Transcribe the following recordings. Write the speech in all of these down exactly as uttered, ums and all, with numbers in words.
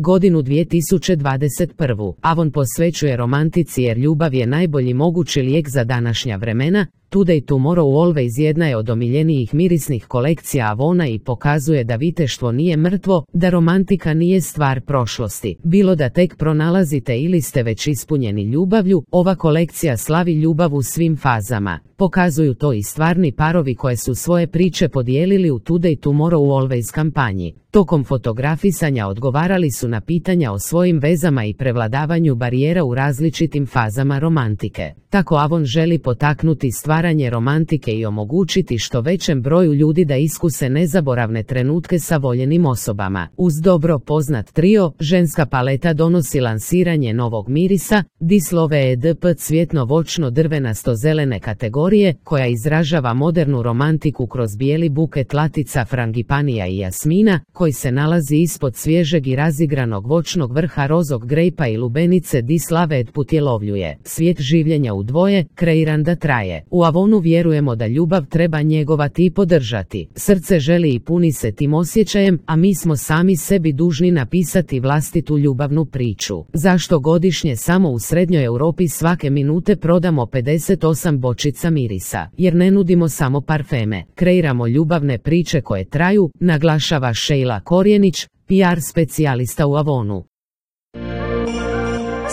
godinu dvije tisuće dvadeset prvu. Avon posvećuje romantici jer ljubav je najbolji mogući lijek za današnja vremena. Today Tomorrow Always jedna je od omiljenijih mirisnih kolekcija Avona i pokazuje da viteštvo nije mrtvo, da romantika nije stvar prošlosti. Bilo da tek pronalazite ili ste već ispunjeni ljubavlju, ova kolekcija slavi ljubav u svim fazama. Pokazuju to i stvarni parovi koje su svoje priče podijelili u Today Tomorrow Always kampanji. Tokom fotografisanja odgovarali su na pitanja o svojim vezama i prevladavanju barijera u različitim fazama romantike. Tako Avon želi potaknuti stvaranje romantike i omogućiti što većem broju ljudi da iskuse nezaboravne trenutke sa voljenim osobama. Uz dobro poznat trio, ženska paleta donosi lansiranje novog mirisa, Dislove Edp cvjetno-voćno-drvenasto-zelene kategorije, koja izražava modernu romantiku kroz bijeli buket latica frangipanija i jasmina, koji se nalazi ispod svježeg i razigranog voćnog vrha rozog grejpa i lubenice. Dislove Ed putjelovljuje svijet življenja u dvoje, kreiran da traje. U Avonu vjerujemo da ljubav treba njegovati i podržati. Srce želi i puni se tim osjećajem, a mi smo sami sebi dužni napisati vlastitu ljubavnu priču. Zašto godišnje samo u Srednjoj Europi svake minute prodamo pedeset osam bočica mirisa? Jer ne nudimo samo parfeme, kreiramo ljubavne priče koje traju, naglašava Sheila Korjenić, P R specijalista u Avonu.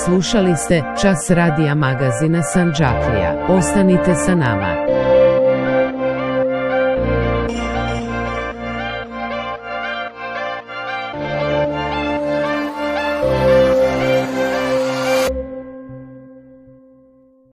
Slušali ste Čas radija magazina Sandžaklija. Ostanite sa nama.